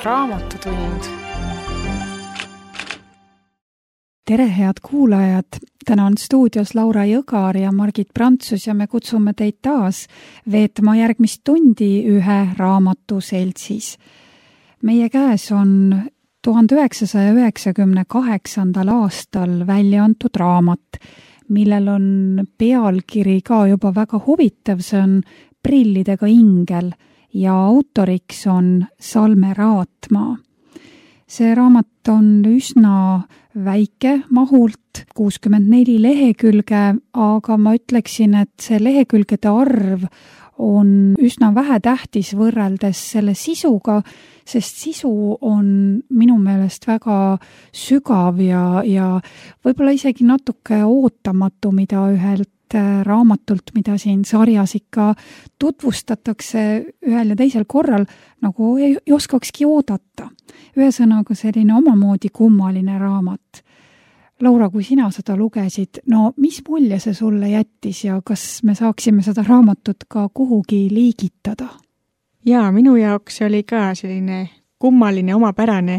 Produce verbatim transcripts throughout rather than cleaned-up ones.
Raamatutund. Tere, head kuulajad! Täna on stuudios Laura Jõgar ja Margit Prantsus ja me kutsume teid taas veetma järgmist tundi ühe raamatu seltsis. Meie käes on tuhande üheksasaja üheksakümne kaheksandal aastal välja antud raamat, millel on pealkiri ka juba väga huvitav, see on Prillidega ingel ja autoriks on Salme Raatmaa. See raamat on üsna väike mahult, kuuskümmend neli lehekülge, aga ma ütleksin, et see lehekülgede arv on üsna vähetähtis võrreldes selle sisuga, sest sisu on minu meelest väga sügav ja, ja võib-olla isegi natuke ootamatu, mida ühelt raamatult, mida siin sarjas ikka tutvustatakse ühel ja teisel korral, nagu ei oskakski oodata. Ühesõnaga selline omamoodi kummaline raamat. Laura, kui sina seda lugesid, no mis mulje see sulle jättis ja kas me saaksime seda raamatut ka kuhugi liigitada? Jaa, minu jaoks oli ka selline kummaline, omapärane,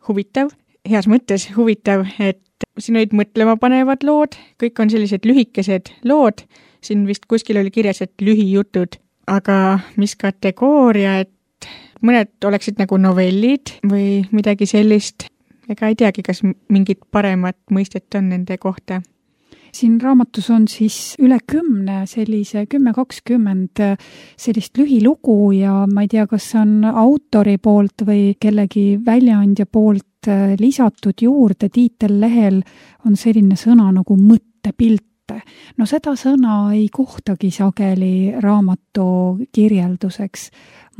huvitav, heas mõttes huvitav, et siin olid mõtlema panevad lood, kõik on sellised lühikesed lood, siin vist kuskil oli kirjas, et lühijutud, aga mis kategooria, et mõned oleksid nagu novellid või midagi sellist, ega ei teagi, kas mingit paremat mõistet on nende kohta. Siin raamatus on siis üle kümne sellise, kümme kakskümmend sellist lühilugu ja ma ei tea, kas see on autori poolt või kellegi väljaandja poolt lisatud juurde. Tiitellehel on selline sõna nagu mõttepilte. No seda sõna ei kohtagi sageli raamatu kirjelduseks.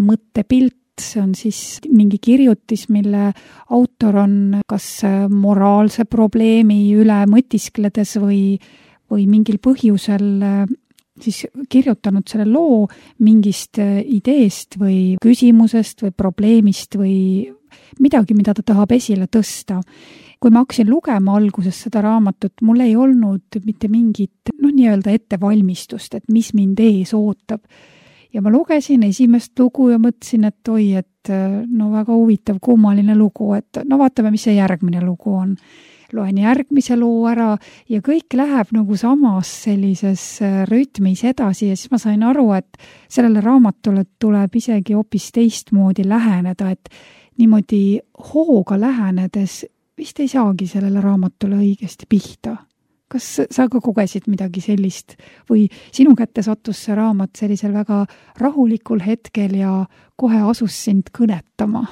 Mõttepilt, see on siis mingi kirjutis, mille autor on kas moraalse probleemi üle mõtiskledes või, või mingil põhjusel siis kirjutanud selle loo mingist ideest või küsimusest või probleemist või midagi, mida ta tahab esile tõsta. Kui ma hakkasin lugema alguses seda raamatut, mul ei olnud mitte mingit no, nii-öelda ettevalmistust, et mis mind ees ootab. Ja ma lugesin esimest lugu ja mõtlesin, et oi, et no väga huvitav, kummaline lugu, et no vaatame, mis see järgmine lugu on. Loen järgmise loo ära ja kõik läheb nagu samas sellises rütmis edasi ja siis ma sain aru, et sellele raamatule tuleb isegi hoopis teistmoodi läheneda, et niimoodi hooga lähenedes vist ei saagi sellele raamatule õigesti pihta. Kas sa ka kogesid midagi sellist või sinu kätte sattus see raamat sellisel väga rahulikul hetkel ja kohe asus sind kõnetama?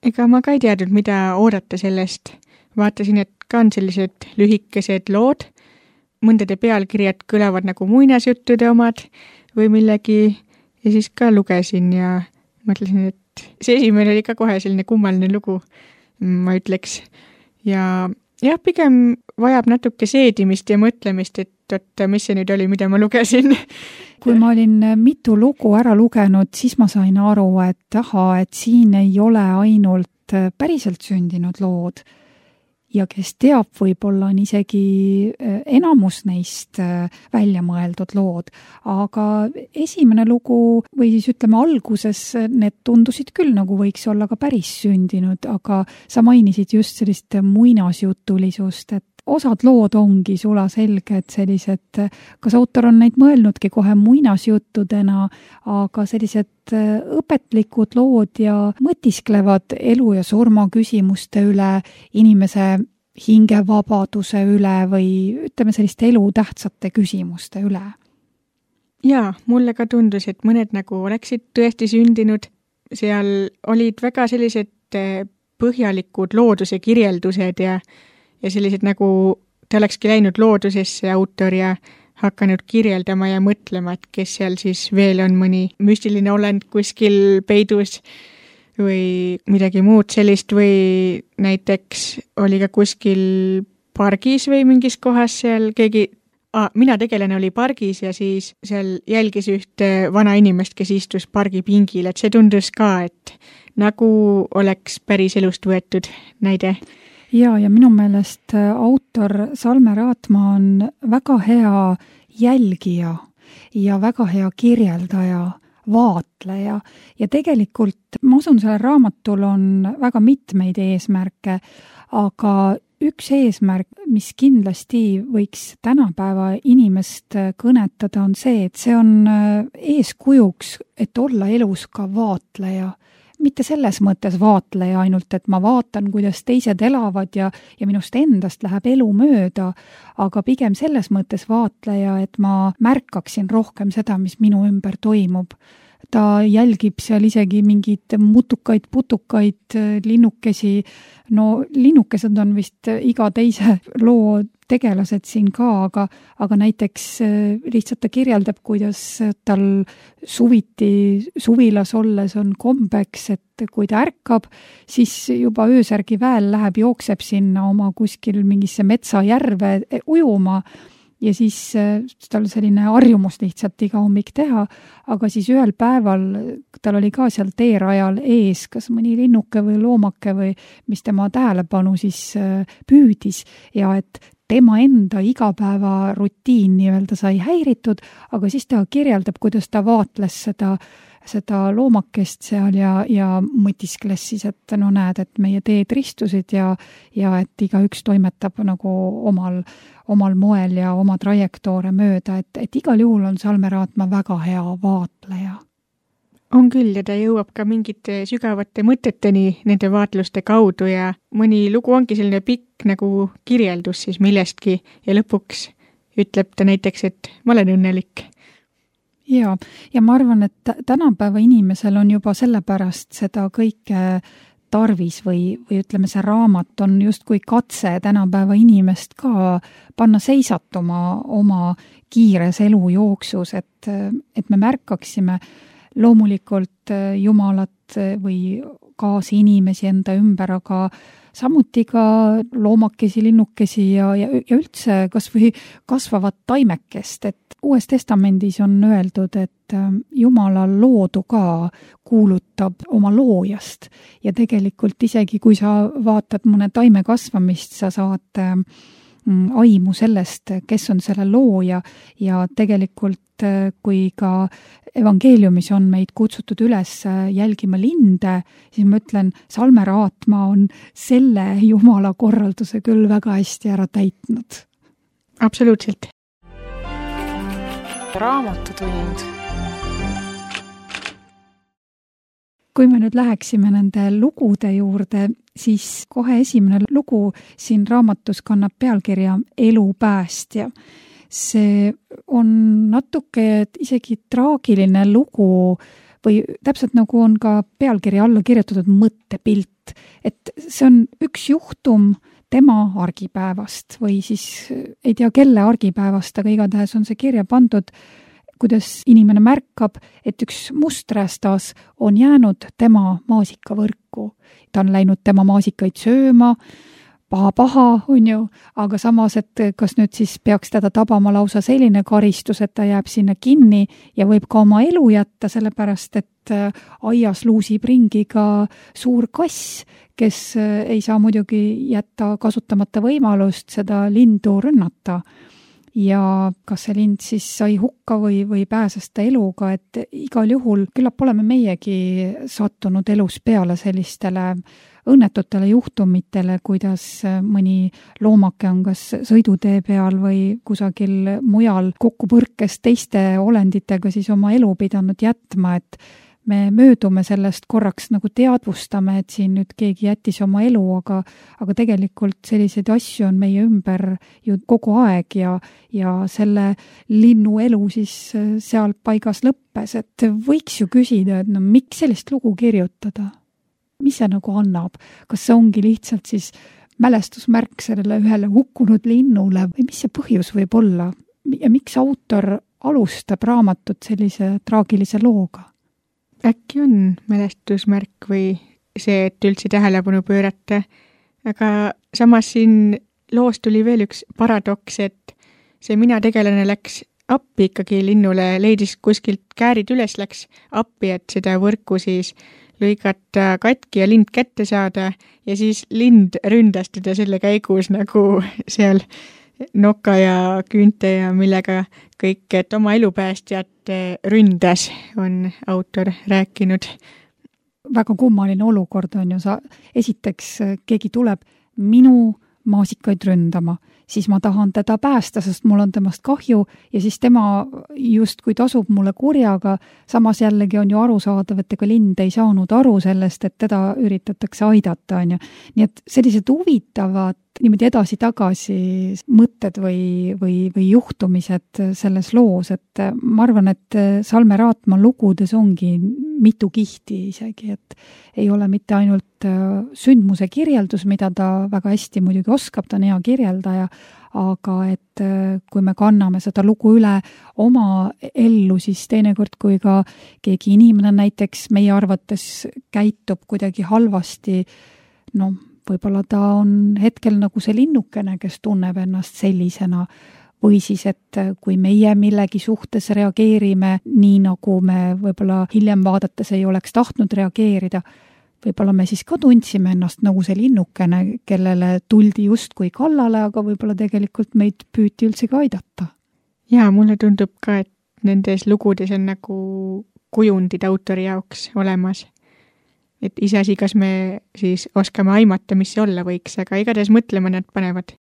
Ega ma ka ei teadnud, mida oodata sellest. Vaatasin, et ka on sellised lühikesed lood, mõndade pealkirjad kõlavad nagu muinasjuttude omad või millegi ja siis ka lugesin ja mõtlesin, et see esimene oli ka kohe selline kummaline lugu, ma ütleks. Ja jah, pigem vajab natuke seedimist ja mõtlemist, et oot, mis see nüüd oli, mida ma lugesin. Kui ma olin mitu lugu ära lugenud, siis ma sain aru, et aha, et siin ei ole ainult päriselt sündinud lood. Ja kes teab, võib-olla on isegi enamus neist välja mõeldud lood. Aga esimene lugu või siis ütleme alguses, need tundusid küll nagu võiks olla ka päris sündinud, aga sa mainisid just sellist muinasjutulisust, et osad lood ongi sula selge, et sellised, kas autor on neid mõelnudki kohe muinasjuttudena, aga sellised õpetlikud lood ja mõtisklevad elu ja surma küsimuste üle, inimese hingevabaduse üle või ütleme selliste elu tähtsate küsimuste üle. Jaa, mulle ka tundus, et mõned nagu oleksid tõesti sündinud. Seal olid väga sellised põhjalikud looduse kirjeldused ja ja sellised nagu ta olekski läinud loodusesse autor ja hakanud kirjeldama ja mõtlema, et kes seal siis veel on mõni müstiline olend kuskil peidus või midagi muud sellist või näiteks oli ka kuskil pargis või mingis kohas seal keegi, ah, mina tegelane oli pargis ja siis seal jälgis ühte vana inimest, kes istus pargi pingil, et see tundus ka, et nagu oleks päris elust võetud näide. Ja, ja minu meelest autor Salme Raatmaa on väga hea jälgija ja väga hea kirjeldaja vaatleja ja tegelikult ma usun, sellel raamatul on väga mitmeid eesmärke, aga üks eesmärk, mis kindlasti võiks tänapäeva inimest kõnetada, on see, et see on eeskujuks, et olla elus ka vaatleja. Mitte selles mõttes vaatleja ainult, et ma vaatan, kuidas teised elavad ja, ja minust endast läheb elu mööda, aga pigem selles mõttes vaatleja, et ma märkaksin rohkem seda, mis minu ümber toimub. Ta jälgib seal isegi mingeid mutukaid, putukaid, linnukesi. No linnukesed on vist iga teise loo tegelased siin ka, aga, aga näiteks lihtsalt ta kirjeldab, kuidas tal suviti, suvilas olles on kombeks, et kui ta ärkab, siis juba öösärgi väel läheb, jookseb sinna oma kuskil mingisse metsajärve ujuma ja siis tal selline harjumus lihtsalt iga hommik teha, aga siis ühel päeval tal oli ka seal teerajal ees kas mõni linnuke või loomake või mis tema tähelepanu siis püüdis ja et tema enda igapäeva rutiin nii-öelda sai häiritud, aga siis ta kirjeldab, kuidas ta vaatles seda seda loomakest seal ja, ja mõtiskles siis, et no näed, et meie teed ristusid ja, ja et igaüks toimetab nagu omal, omal moel ja oma trajektoore mööda, et, et igal juhul on Salme Raatma väga hea vaatleja. On küll ja ta jõuab ka mingite sügavate mõteteni nende vaatluste kaudu ja mõni lugu ongi selline pikk nagu kirjeldus siis millestki ja lõpuks ütleb ta näiteks, et ma olen õnnelik. Ja, ja ma arvan, et tänapäeva inimesel on juba sellepärast seda kõike tarvis või, või ütleme, see raamat on justkui katse tänapäeva inimest ka panna seisatuma oma kiires elujooksus, et, et me märkaksime loomulikult Jumalat või kaasinimesi enda ümber, aga samuti ka loomakesi, linnukesi ja, ja, ja üldse kas või kasvavat taimekest, et Uues Testamendis on öeldud, et Jumala loodu ka kuulutab oma loojast ja tegelikult isegi kui sa vaatad mõne taime kasvamist, sa saad aimu sellest, kes on selle looja ja tegelikult kui ka evangeeliumis on meid kutsutud üles jälgima linde, siis ma ütlen, Salme Raatma on selle Jumala korralduse küll väga hästi ära täitnud. Absoluutselt. Raamatutund. Kui me nüüd läheksime nende lugude juurde, siis kohe esimene lugu siin raamatus kannab pealkirja Elu päästja. See on natuke isegi traagiline lugu või täpselt nagu on ka pealkirja alla kirjutatud mõttepilt, et see on üks juhtum tema argipäevast või siis ei tea kelle argipäevast, aga igatahes on see kirja pandud, kuidas inimene märkab, et üks musträstas on jäänud tema maasikavõrku. Ta on läinud tema maasikaid sööma, paha-paha on ju, aga samas, et kas nüüd siis peaks teda tabama lausa selline karistus, et ta jääb sinna kinni ja võib ka oma elu jätta, sellepärast et aias luusib ringi ka suur kass, kes ei saa muidugi jätta kasutamata võimalust seda lindu rünnata. Ja kas see lind siis sai hukka või, või pääses ta eluga, et igal juhul küllap oleme meiegi sattunud elus peale sellistele õnnetutele juhtumitele, kuidas mõni loomake on kas sõidutee peal või kusagil mujal kokkupõrkes teiste olenditega siis oma elu pidanud jätma, et me möödume sellest korraks nagu teadvustame, et siin nüüd keegi jättis oma elu, aga, aga tegelikult selliseid asju on meie ümber ju kogu aeg ja, ja selle linnu elu siis seal paigas lõppes, et võiks ju küsida, et no miks sellist lugu kirjutada? Mis see nagu annab? Kas see ongi lihtsalt siis mälestusmärk sellele ühele hukkunud linnule või mis see põhjus võib olla? Ja miks autor alustab raamatut sellise traagilise looga? Äkki on mälestusmärk või see, et üldse tähelepanu pöörata, aga samas siin loos tuli veel üks paradoks, et see mina tegelane läks appi ikkagi linnule, leidis kuskilt käärid üles, läks appi, et seda võrku siis lõigata katki ja lind kätte saada ja siis lind ründas teda selle käigus nagu seal noka ja küünte ja millega kõik, et oma elupäästjat ründas, on autor rääkinud. Väga kummaline olukord on ju, sa esiteks keegi tuleb minu maasikaid ründama, siis ma tahan teda päästa, sest mul on temast kahju ja siis tema justkui tasub mulle kurjaga, samas jällegi on ju arusaadav, et ega lind ei saanud aru sellest, et teda üritatakse aidata, on ju. Nii et sellised huvitavad niimoodi edasi-tagasi mõtted või, või, või juhtumised selles loos, et ma arvan, et Salme Raatma lugudes ongi mitu kihti isegi, et ei ole mitte ainult sündmuse kirjeldus, mida ta väga hästi muidugi oskab, ta on hea kirjeldaja, aga et kui me kanname seda lugu üle oma ellu, siis teinekord, kui ka keegi inimene näiteks meie arvates käitub kuidagi halvasti, noh, võib-olla ta on hetkel nagu see linnukene, kes tunneb ennast sellisena, või siis, et kui meie millegi suhtes reageerime nii, nagu me võib-olla hiljem vaadates ei oleks tahtnud reageerida, võib-olla me siis ka tundsime ennast nagu see linnukene, kellele tuldi justkui kallale, aga võib-olla tegelikult meid püüti üldse ka aidata. Jaa, mulle tundub ka, et nendes lugudes on nagu kujundid autori jaoks olemas. Et iseasi, kas me siis oskame aimata, mis see olla võiks, aga igatahes mõtlema nad panevad.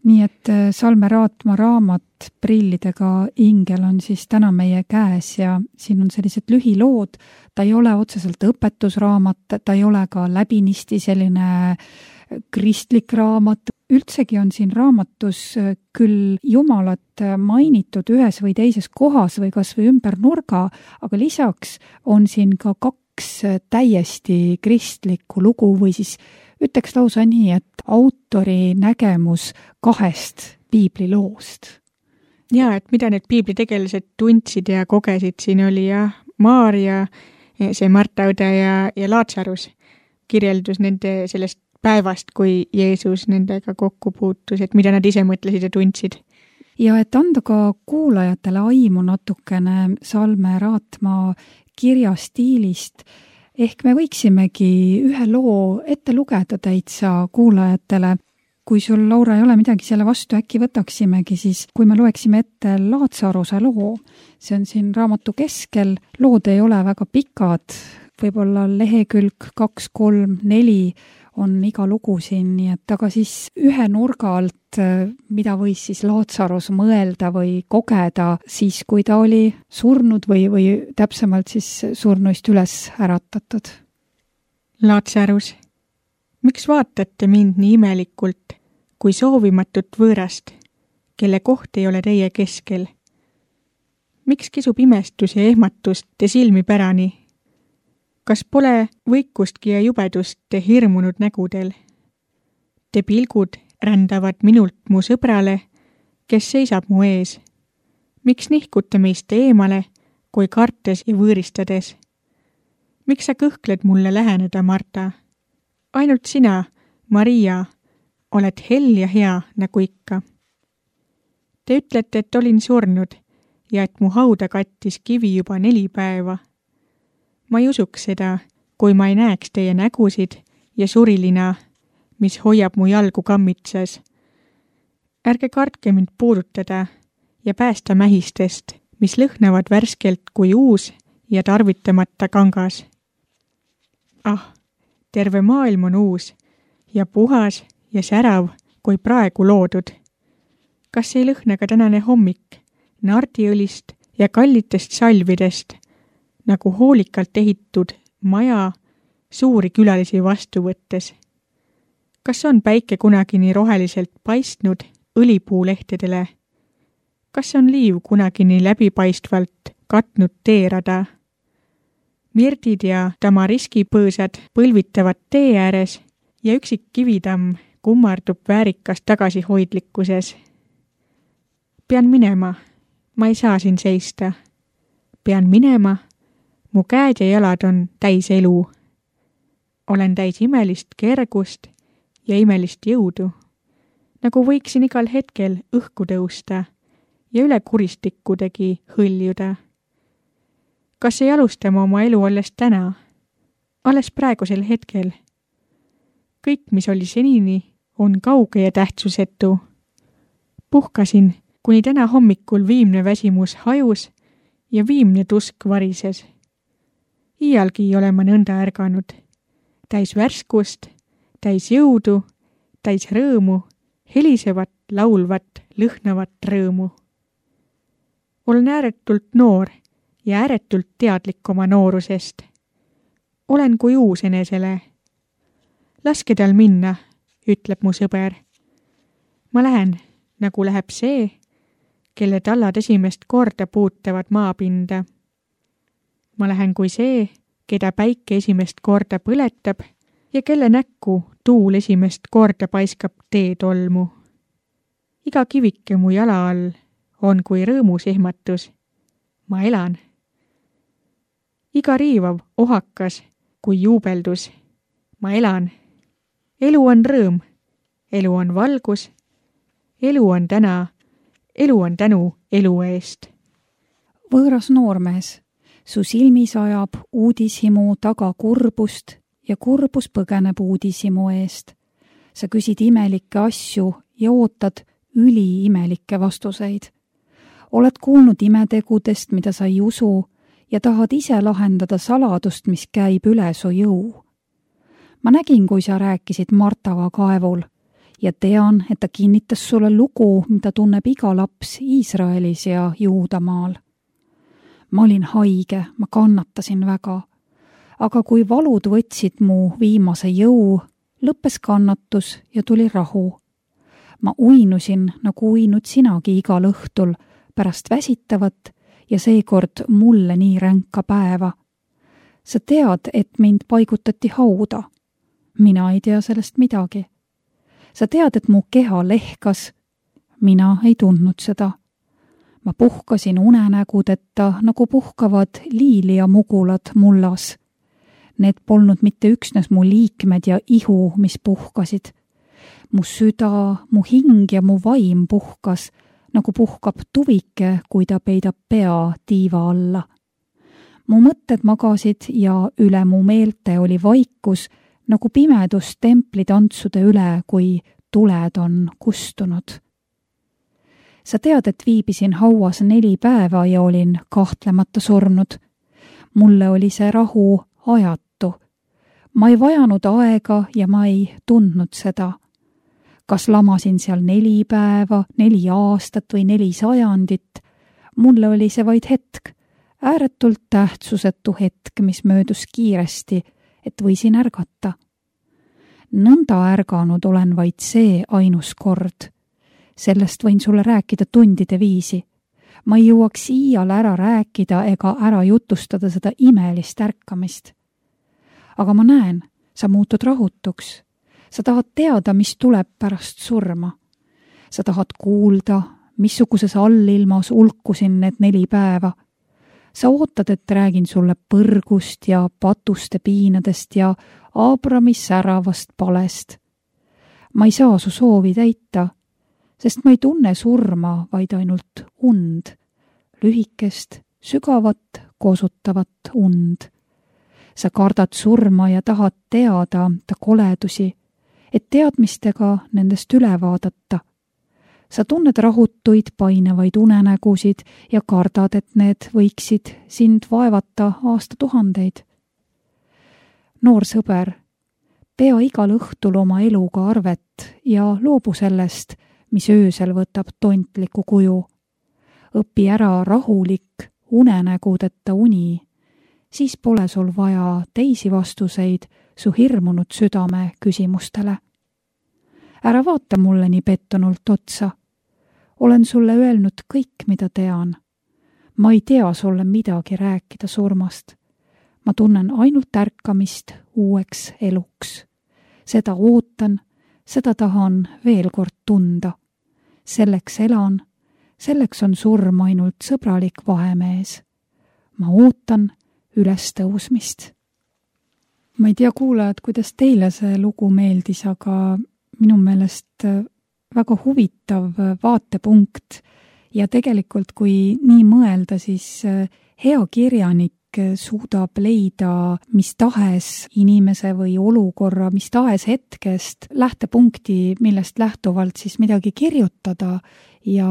Nii et Salme Raatma raamat Prillidega ingel on siis täna meie käes ja siin on sellised lühilood, ta ei ole otseselt õpetusraamat, ta ei ole ka läbinisti selline kristlik raamat. Üldsegi on siin raamatus küll Jumalat mainitud ühes või teises kohas või kas või ümber nurga, aga lisaks on siin ka kaks täiesti kristlikku lugu või siis ütleks lausa nii, et autori nägemus kahest piibliloost. Jaa, et mida need piiblitegelased tundsid ja kogesid, siin oli jah Maarja, see Marta õde ja, ja Laatsarus kirjeldus nende sellest päevast, kui Jeesus nendega kokku puutus, et mida nad ise mõtlesid ja tundsid. Ja et anda ka kuulajatele aimu natukene Salme Raatma kirjastiilist, ehk me võiksimegi ühe loo ette lugeda täitsa kuulajatele. Kui sul, Laura, ei ole midagi selle vastu, äkki võtaksimegi siis, kui me loeksime ette Laatsaruse loo. See on siin raamatu keskel, lood ei ole väga pikad, võib-olla lehekülg kaks, kolm, neli on iga lugu siin, nii et aga siis ühe nurga alt, mida võis siis Laatsarus mõelda või kogeda siis, kui ta oli surnud või, või täpsemalt siis surnuist üles äratatud. Laatsarus, miks vaatate mind nii imelikult kui soovimatut võõrast, kelle koht ei ole teie keskel? Miks kisub imestus ja ehmatust te silmi pärani? Kas pole võikustki ja jubedust te hirmunud nägudel? Te pilgud rändavad minult mu sõbrale, kes seisab mu ees. Miks nihkute meist eemale, kui kartes ja võõristades? Miks sa kõhkled mulle läheneda, Marta? Ainult sina, Maria, oled hell ja hea nagu ikka. Te ütlete, et olin surnud ja et mu hauda kattis kivi juba neli päeva. Ma ei usuks seda, kui ma ei näeks teie nägusid ja surilina, mis hoiab mu jalgu kammitsas. Ärge kartke mind puudutada ja päästa mähistest, mis lõhnavad värskelt kui uus ja tarvitamata kangas. Ah, terve maailm on uus ja puhas ja särav kui praegu loodud. Kas ei lõhna ka tänane hommik nardiõlist ja kallitest salvidest, nagu hoolikalt ehitud maja suuri külalisi vastu võttes? Kas on päike kunagi nii roheliselt paistnud õlipuulehtedele? Kas on liiv kunagi nii läbipaistvalt katnud teerada? Mirdid ja tamariskipõõsad põlvitavad tee ääres ja üksik kivitamm kummardub väärikas tagasihoidlikkuses. Pean minema, ma ei saa siin seista. Pean minema, mu käed ja jalad on täis elu. Olen täis imelist kergust ja imelist jõudu, nagu võiksin igal hetkel õhku tõusta ja üle kuristikkudegi hõljuda. Kas ei alustama oma elu alles täna, alles praegusel hetkel? Kõik, mis oli senini, on kauge ja tähtsusetu. Puhkasin, kuni täna hommikul viimne väsimus hajus ja viimne tusk varises. Iialgi ei ole ma nõnda ärganud. Täis värskust, täis jõudu, täis rõõmu, helisevat, laulvat, lõhnavat rõõmu. Olen ääretult noor ja ääretult teadlik oma noorusest. Olen kui uus enesele. Laske tal minna, ütleb mu sõber. Ma lähen, nagu läheb see, kelle tallad esimest korda puutavad maapinda. Ma lähen kui see, keda päike esimest korda põletab ja kelle näkku tuul esimest korda paiskab teetolmu. Iga kivike mu jala all on kui rõõmus ehmatus. Ma elan. Iga riivav ohakas kui juubeldus. Ma elan. Elu on rõõm, elu on valgus, elu on täna, elu on tänu elu eest. Võõras noormees, su silmis ajab uudishimu taga kurbust ja kurbus põgeneb uudishimu eest. Sa küsid imelikke asju ja ootad üliimelikke vastuseid. Oled kuulnud imetegudest, mida sa ei usu ja tahad ise lahendada saladust, mis käib üle su jõu. Ma nägin, kui sa rääkisid Martava kaevul ja tean, et ta kinnitas sulle lugu, mida tunneb iga laps Iisraelis ja Juudamaal. Ma olin haige, ma kannatasin väga, aga kui valud võtsid mu viimase jõu, lõppes kannatus ja tuli rahu. Ma uinusin, nagu uinud sinagi igal õhtul pärast väsitavat ja seekord mulle nii ränka päeva. Sa tead, et mind paigutati hauda. Mina ei tea sellest midagi. Sa tead, et mu keha lehkas. Mina ei tundnud seda. ma puhkasin unenägudeta, nagu puhkavad liili ja mugulad mullas. Need polnud mitte üksnes mu liikmed ja ihu, mis puhkasid. Mu süda, mu hing ja mu vaim puhkas, nagu puhkab tuvike, kui ta peidab pea tiiva alla. Mu mõtted magasid ja üle mu meelte oli vaikus, nagu pimedus templitantsude üle, kui tuled on kustunud. Sa tead, et viibisin hauas neli päeva ja olin kahtlemata surnud. Mulle oli see rahu ajatu. Ma ei vajanud aega ja ma ei tundnud seda. Kas lamasin seal neli päeva, neli aastat või neli sajandit? Mulle oli see vaid hetk, ääretult tähtsusetu hetk, mis möödus kiiresti, et võisin ärgata. Nõnda ärganud olen vaid see ainus kord. Sellest võin sulle rääkida tundide viisi. Ma ei jõuaks iial ära rääkida ega ära jutustada seda imelist ärkamist. Aga ma näen, sa muutud rahutuks. Sa tahad teada, mis tuleb pärast surma. Sa tahad kuulda, missuguses allilmas ulkusin need neli päeva. Sa ootad, et räägin sulle põrgust ja patuste piinadest ja Aabrami säravast palest. Ma ei saa su soovi täita, sest ma ei tunne surma, vaid ainult und, lühikest, sügavat, kosutavat und. Sa kardad surma ja tahad teada ta koledusi, et teadmistega nendest üle vaadata. Sa tunned rahutuid painevaid unenägusid ja kardad, et need võiksid sind vaevata aastatuhandeid. Noor sõber, pea igal õhtul oma eluga arvet ja loobu sellest, mis öösel võtab tontliku kuju. Õpi ära rahulik, unenägudeta uni, siis pole sul vaja teisi vastuseid su hirmunud südame küsimustele. Ära vaata mulle nii pettunult otsa. Olen sulle öelnud kõik, mida tean. Ma ei tea sulle midagi rääkida surmast. Ma tunnen ainult ärkamist uueks eluks. Seda ootan, seda tahan veel kord tunda. Selleks elan, selleks on surm ainult sõbralik vahemees. Ma ootan üles tõusmist. Ma ei tea, kuulajad, kuidas teile see lugu meeldis, aga minu meelest väga huvitav vaatepunkt ja tegelikult, kui nii mõelda, siis hea kirjanik suudab leida mis tahes inimese või olukorra, mis tahes hetkest lähtepunkti, millest lähtuvalt siis midagi kirjutada ja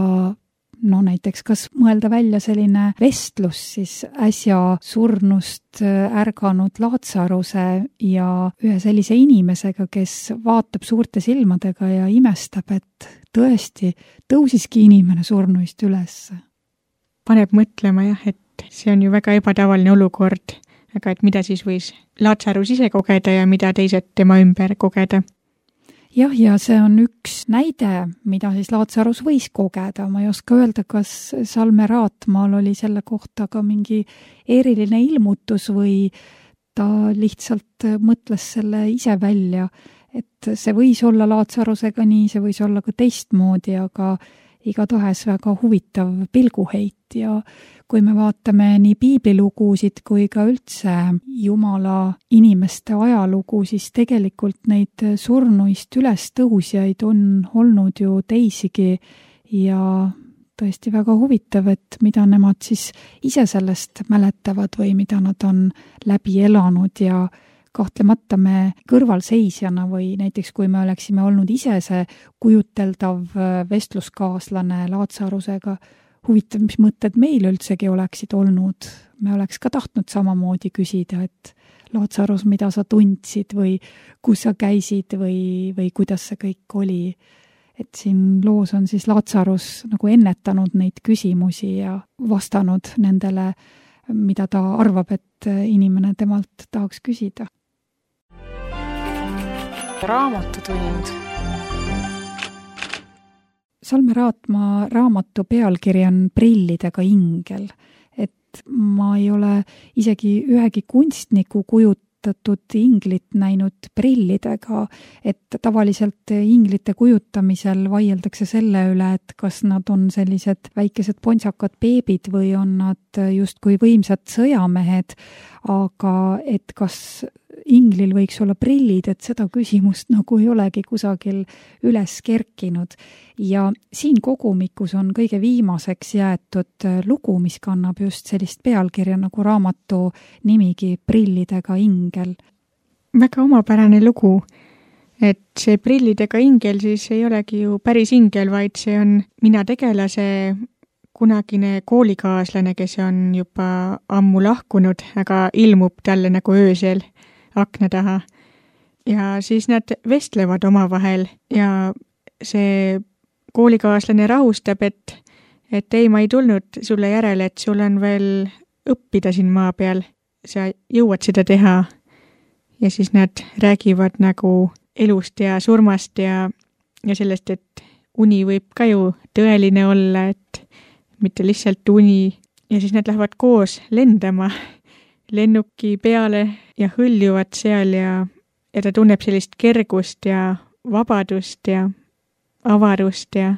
no näiteks kas mõelda välja selline vestlus siis äsja surnust ärganud Laatsaruse ja ühe sellise inimesega, kes vaatab suurte silmadega ja imestab, et tõesti tõusiski inimene surnuist üles. Paneb mõtlema jah, et see on ju väga ebatavaline olukord, aga et mida siis võis Laatsarus ise kogeda ja mida teised tema ümber kogeda. Jah, ja see on üks näide, mida siis Laatsarus võis kogeda. Ma ei oska öelda, kas Salme Raatmaal oli selle kohta ka mingi eriline ilmutus või ta lihtsalt mõtles selle ise välja, et see võis olla Laatsarusega nii, see võis olla ka teistmoodi, aga igatahes väga huvitav pilguheit ja kui me vaatame nii piiblilugusid kui ka üldse Jumala inimeste ajalugu, siis tegelikult neid surnuist üles tõusjaid on olnud ju teisigi ja tõesti väga huvitav, et mida nemad siis ise sellest mäletavad või mida nad on läbi elanud ja kahtlemata me kõrvalseisjana või näiteks kui me oleksime olnud ise see kujuteldav vestluskaaslane Laatsarusega, huvitav, mis mõtted meil üldsegi oleksid olnud. Me oleks ka tahtnud samamoodi küsida, et Laatsarus, mida sa tundsid või kus sa käisid või, või kuidas see kõik oli. Et siin loos on siis Laatsarus nagu ennetanud neid küsimusi ja vastanud nendele, mida ta arvab, et inimene temalt tahaks küsida. Raamatutund. Salme Raatmaa raamatu pealkiri on Prillidega ingel, et ma ei ole isegi ühegi kunstniku kujut kasvatatud inglit näinud prillidega, et tavaliselt inglite kujutamisel vaieldakse selle üle, et kas nad on sellised väikesed pontsakad beebid või on nad justkui võimsad sõjamehed, aga et kas inglil võiks olla prillid, et seda küsimust nagu ei olegi kusagil üles kerkinud. Ja siin kogumikus on kõige viimaseks jäetud lugu, mis kannab just sellist pealkirja nagu raamatu nimigi Prillidega ingel. Väga omapärane lugu, et see Prillidega ingel siis ei olegi ju päris ingel, vaid see on mina tegelase kunagine koolikaaslane, kes on juba ammu lahkunud, aga ilmub talle nagu öösel akna taha. Ja siis nad vestlevad omavahel ja see koolikaaslane rahustab, et, et ei, ma ei tulnud sulle järele, et sul on veel õppida siin maa peal. Sa jõuad seda teha. Ja siis nad räägivad nagu elust ja surmast ja, ja sellest, et uni võib ka ju tõeline olla, et mitte lihtsalt uni. Ja siis nad lähevad koos lendama lennuki peale ja hõljuvad seal ja, ja ta tunneb sellist kergust ja vabadust ja avarust ja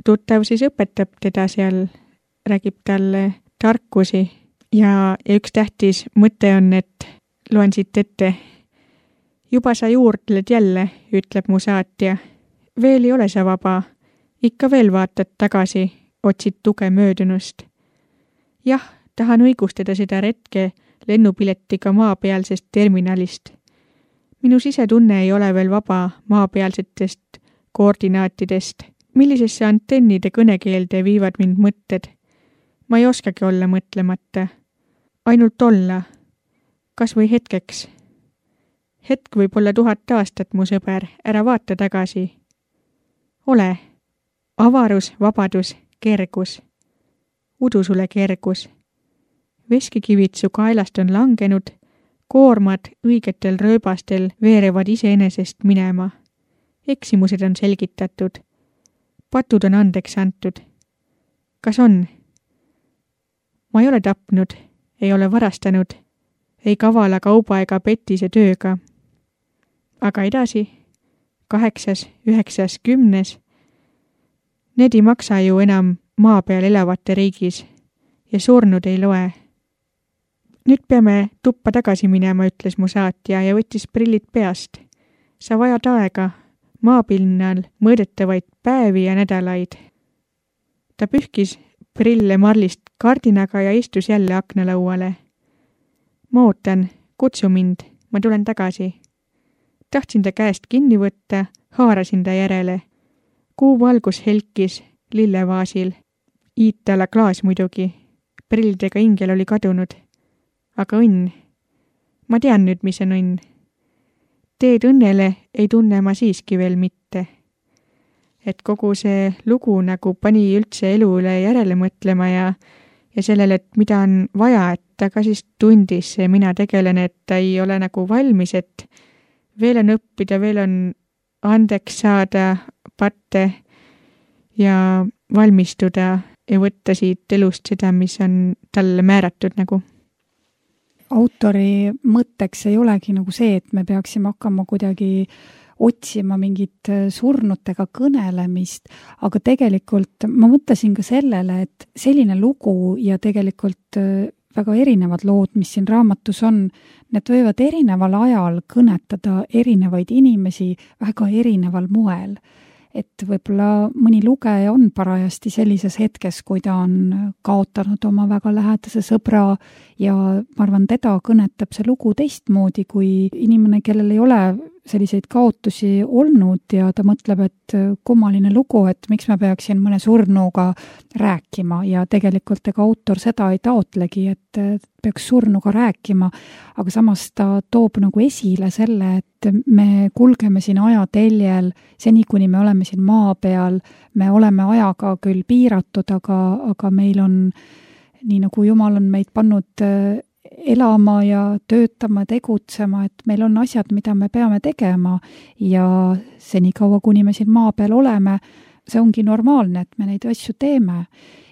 tuttav siis õpetab teda seal, räägib talle tarkusi ja, ja üks tähtis mõte on, et loen siit ette. Juba sa juurdled jälle, ütleb mu saatja. Veel ei ole sa vaba, ikka veel vaatad tagasi, otsid tuge möödunust. Jah, tahan õigustada seda retke lennupiletiga maapealsest terminalist. Minu sisetunne ei ole veel vaba maapealsetest koordinaatidest. Millisesse antennide kõnekeelde viivad mind mõtted? Ma ei oskagi olla mõtlemata. Ainult olla. Kas või hetkeks? Hetk võib olla tuhat aastat, mu sõber. Ära vaata tagasi. Ole. Avarus, vabadus, kergus. Udu sulle kergus. Veskikivid su kaelast on langenud, koormad õigetel rööbastel veerevad iseenesest minema. Eksimused on selgitatud. Patud on andeks antud. Kas on? Ma ei ole tapnud, ei ole varastanud, ei kavala kauba ega petise tööga. Aga edasi, kaheksas, üheksas, kümnes. Need ei maksa ju enam maa peal elavate riigis ja surnud ei loe. Nüüd peame tuppa tagasi minema, ütles mu saatja ja võttis prillid peast. Sa vajad aega, maapinnal mõõdetavaid päevi ja nädalaid. Ta pühkis prille marlist kardinaga ja istus jälle aknalauale. Ma ootan, kutsu mind, ma tulen tagasi. Tahtsin ta käest kinni võtta, haarasin ta järele. Kuu valgus helkis lillevaasil. Iitala klaas muidugi. Prillidega ingel oli kadunud. Aga õnn. Ma tean nüüd, mis on õnn. Teed õnnele ei tunne ma siiski veel mitte. Et kogu see lugu nagu pani üldse elu üle järele mõtlema ja, ja sellele, et mida on vaja, et ta ka siis tundis see mina tegelen, et ta ei ole nagu valmis, et veel on õppida, veel on andeks saada patte ja valmistuda ja võtta siit elust seda, mis on talle määratud nagu. Autori mõtteks ei olegi nagu see, et me peaksime hakkama kuidagi otsima mingit surnutega kõnelemist, aga tegelikult ma mõtlesin ka sellele, et selline lugu ja tegelikult väga erinevad lood, mis siin raamatus on, need võivad erineval ajal kõnetada erinevaid inimesi väga erineval moel. Et võib-olla mõni lugeja on parajasti sellises hetkes, kui ta on kaotanud oma väga lähedase sõbra ja ma arvan, teda kõnetab see lugu teistmoodi kui inimene, kellel ei ole selliseid kaotusi olnud ja ta mõtleb, et kummaline lugu, et miks ma peaksin mõne surnuga rääkima ja tegelikult ega autor seda ei taotlegi, et peaks surnuga rääkima, aga samas ta toob nagu esile selle, et me kulgeme siin ajateljel seni, kuni me oleme siin maa peal, me oleme ajaga küll piiratud, aga, aga meil on, nii nagu Jumal on meid pannud elama ja töötama, tegutsema, et meil on asjad, mida me peame tegema ja senikaua, kuni me siin maa peal oleme, see ongi normaalne, et me neid asju teeme.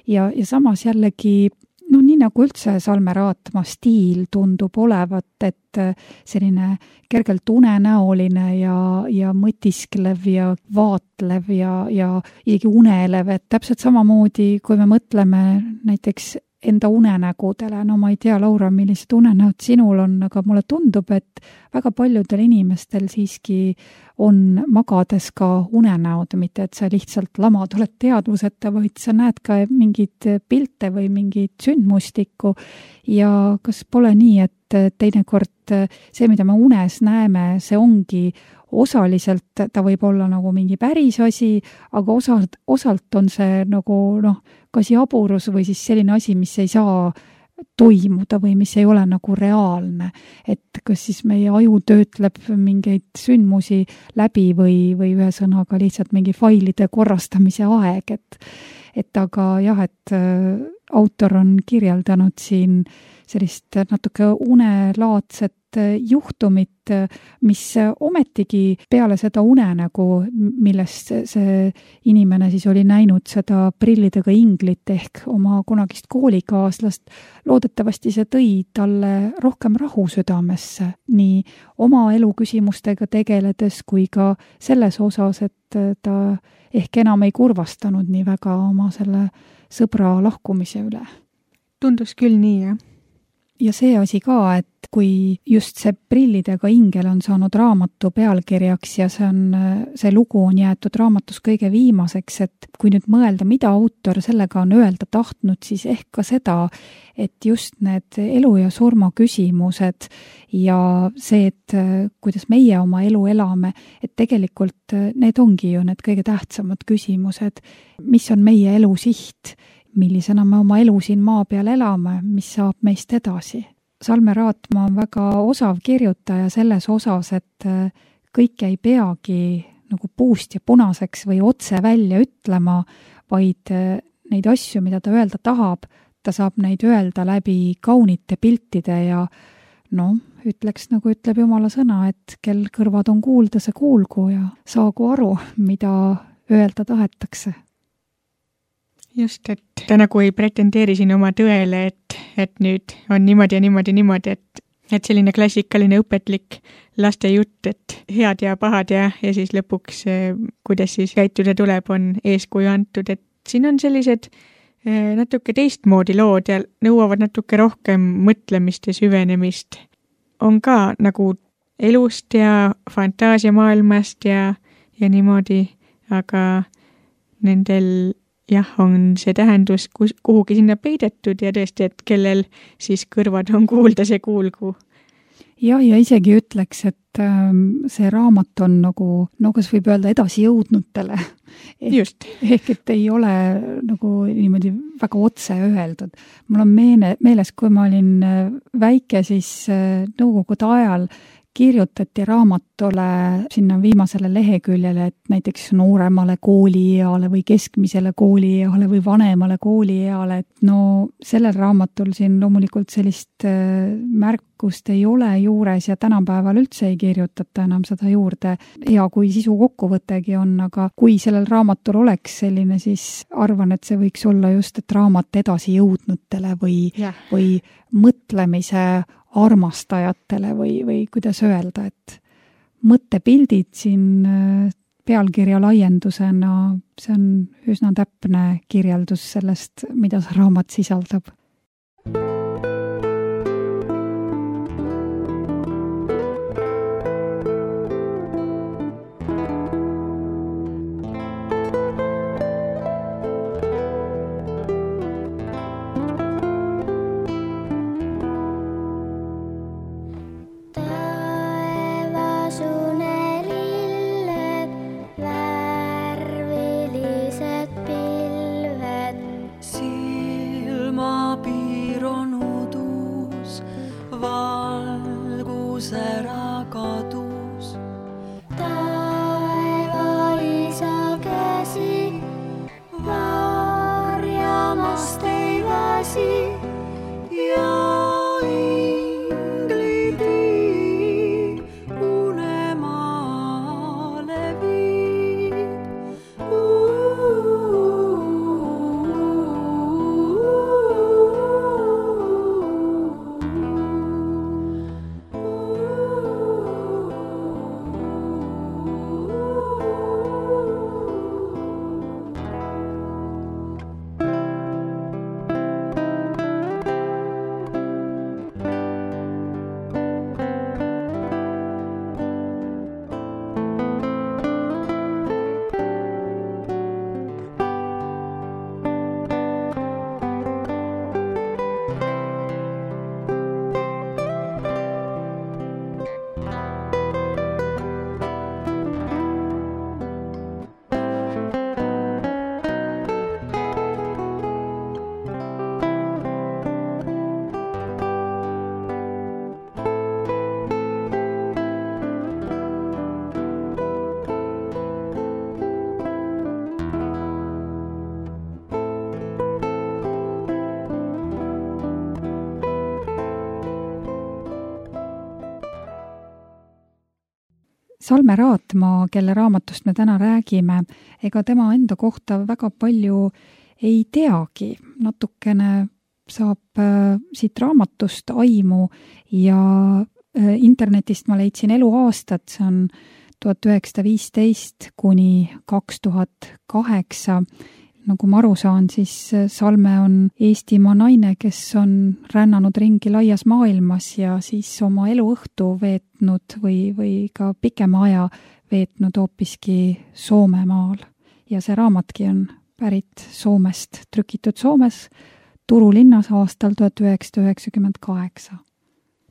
Ja, ja samas jällegi, no nii nagu üldse Salme Raatma stiil tundub olevat, et selline kergelt unenäoline ja, ja mõtisklev ja vaatlev ja, ja isegi unelev, et täpselt samamoodi, kui me mõtleme näiteks enda unenägudele, no ma ei tea, Laura, millised unenäod sinul on, aga mulle tundub, et väga paljudel inimestel siiski on magades ka unenäod, mitte et sa lihtsalt lamad oled teadvuseta, vaid sa näed ka mingeid pilte või mingit sündmustikku ja kas pole nii, et teinekord see, mida me unes näeme, see ongi osaliselt, ta võib olla nagu mingi päris asi, aga osalt, osalt on see nagu noh, kas jaburus või siis selline asi, mis ei saa toimuda või mis ei ole nagu reaalne. Et kas siis meie aju töötleb mingeid sündmusi läbi või, või ühesõnaga lihtsalt mingi failide korrastamise aeg, et, et aga jah, et äh, autor on kirjeldanud siin sellist natuke unelaadset juhtumit, mis ometigi peale seda unenägu, millest see inimene siis oli näinud seda prillidega inglit ehk oma kunagist koolikaaslast, loodetavasti see tõi talle rohkem rahu südamesse, nii oma elu küsimustega tegeledes kui ka selles osas, et ta ehk enam ei kurvastanud nii väga oma selle sõbra lahkumise üle. Tundus küll nii, jah. Ja see asi ka, et kui just see prillidega ingel on saanud raamatu pealkirjaks ja see on, see lugu on jäetud raamatus kõige viimaseks, et kui nüüd mõelda, mida autor sellega on öelda tahtnud, siis ehk ka seda, et just need elu ja surma küsimused ja see, et kuidas meie oma elu elame, et tegelikult need ongi ju need kõige tähtsamad küsimused, mis on meie elu siht, millisena me oma elu siin maa peal elame, mis saab meist edasi. Salme Raatma on väga osav kirjutaja selles osas, et kõike ei peagi nagu puust ja punaseks või otse välja ütlema, vaid neid asju, mida ta öelda tahab, ta saab neid öelda läbi kaunite piltide ja no, ütleks nagu ütleb Jumala sõna, et kel kõrvad on kuulda, see kuulgu ja saagu aru, mida öelda tahetakse. Just, et ta nagu ei pretendeeri siin oma tõele, et, et nüüd on niimoodi ja niimoodi, niimoodi, et, et selline klassikaline õpetlik laste jutt, et head ja pahad ja, ja siis lõpuks, kuidas siis käituda tuleb, on eeskuju antud, et siin on sellised natuke teistmoodi lood ja nõuavad natuke rohkem mõtlemist ja süvenemist. On ka nagu elust ja fantaasiamaailmast ja, ja niimoodi, aga nendel jah, on see tähendus kus, kuhugi sinna peidetud ja tõesti, et kellel siis kõrvad on kuulda, see kuulgu. Ja, ja isegi ütleks, et ähm, see raamat on nagu, no kas võib öelda edasi jõudnutele. Just. Ehk et ei ole nagu niimoodi väga otse öeldud. Mul on meene, meeles, kui ma olin väike, siis äh, nõukogude ajal kirjutati raamatule sinna viimasele leheküljele, et näiteks nooremale koolieale või keskmisele koolieale või vanemale koolieale, et no sellel raamatul siin loomulikult sellist märkust ei ole juures ja tänapäeval üldse ei kirjutata enam seda juurde. Ja kui sisu kokkuvõttegi on, aga kui sellel raamatul oleks selline, siis arvan, et see võiks olla just, et raamat edasi jõudnutele või, yeah. või mõtlemise armastajatele või, või kuidas öelda, et mõttepildid siin pealkirja laiendusena, see on üsna täpne kirjeldus sellest, mida see raamat sisaldab. Salme Raatmaa, kelle raamatust me täna räägime, ega tema enda kohta väga palju ei teagi. Natukene saab äh, siit raamatust aimu ja äh, internetist ma leidsin eluaastat, see on tuhat üheksasada viisteist kuni kaks tuhat kaheksa. Nagu ma aru saan, siis Salme on Eestimaa naine, kes on rännanud ringi laias maailmas ja siis oma eluõhtu veetnud või, või ka pikema aja veetnud hoopiski Soomemaal. Ja see raamatki on pärit Soomest, trükitud Soomes Turu linnas aastal tuhat üheksasada üheksakümmend kaheksa.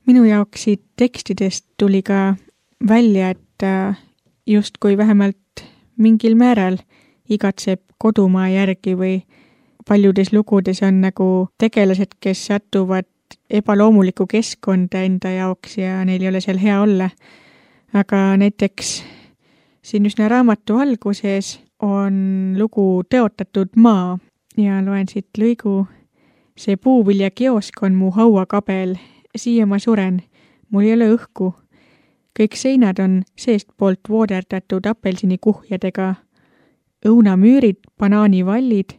Minu jaoks siit tekstidest tuli ka välja, et justkui vähemalt mingil määral igatseb kodumaa järgi või paljudes lugudes on nagu tegelased, kes satuvad ebaloomulikku keskkonda enda jaoks ja neil ei ole seal hea olla. Aga näiteks siin üsna raamatu alguses on lugu Tõotatud maa ja loen siit lõigu. See puuviljakiosk on mu hauakabel, siia ma suren, mul ei ole õhku. Kõik seinad on seestpoolt vooderdatud apelsinikuhjadega. Õunamüürid, banaanivallid,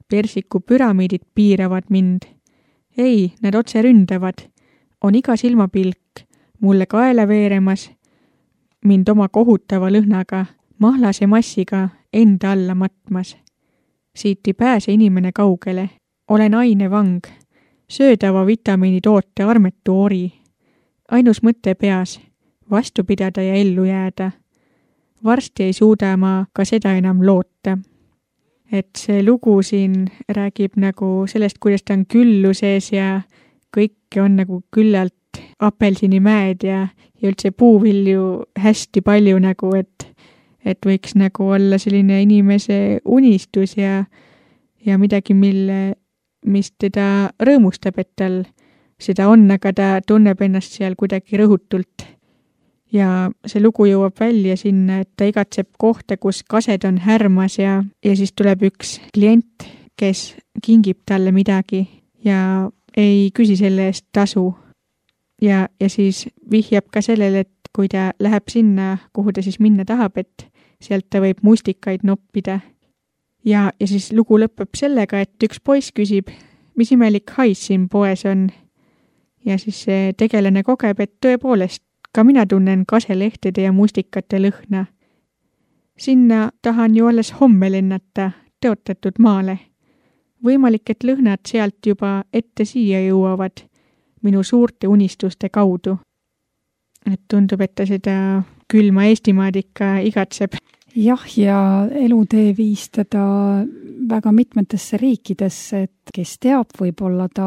persiku püramiidid piiravad mind. Ei, nad otse ründavad. On iga silmapilk, mulle kaela veeremas, mind oma kohutava lõhnaga, mahlase massiga enda alla matmas. Siit ei pääse inimene kaugele. Olen ainevang, söödava vitamiini toote armetu ori. Ainus mõte peas, vastu pidada ja ellu jääda. Varsti ei suuda ma ka seda enam loota. Et see lugu siin räägib nagu sellest, kuidas ta on külluses ja kõik on nagu küllalt apelsinimäed ja, ja üldse puuvilju hästi palju nagu, et, et võiks nagu olla selline inimese unistus ja, ja midagi, mille, mis teda rõõmustab, et tal seda on, aga ta tunneb ennast seal kuidagi rõhutult. Ja see lugu jõuab välja sinna, et ta igatseb kohta, kus kased on härmas ja, ja siis tuleb üks klient, kes kingib talle midagi ja ei küsi selle eest tasu. Ja, ja siis vihjab ka sellele, et kui ta läheb sinna, kuhu ta siis minna tahab, et sealt ta võib mustikaid noppida. Ja, ja siis lugu lõpeb sellega, et üks poiss küsib, mis imelik hais siin poes on. Ja siis see tegelane kogeb, et tõepoolest, ka mina tunnen kaselehtede ja mustikate lõhna. Sinna tahan ju alles homme lennata Tõotatud maale. Võimalik, et lõhnad sealt juba ette siia jõuavad minu suurte unistuste kaudu. Et tundub, et ta seda külma Eestimaad ikka igatseb. Jah, ja elutee viis teda väga mitmetesse riikidesse, et kes teab, võib-olla ta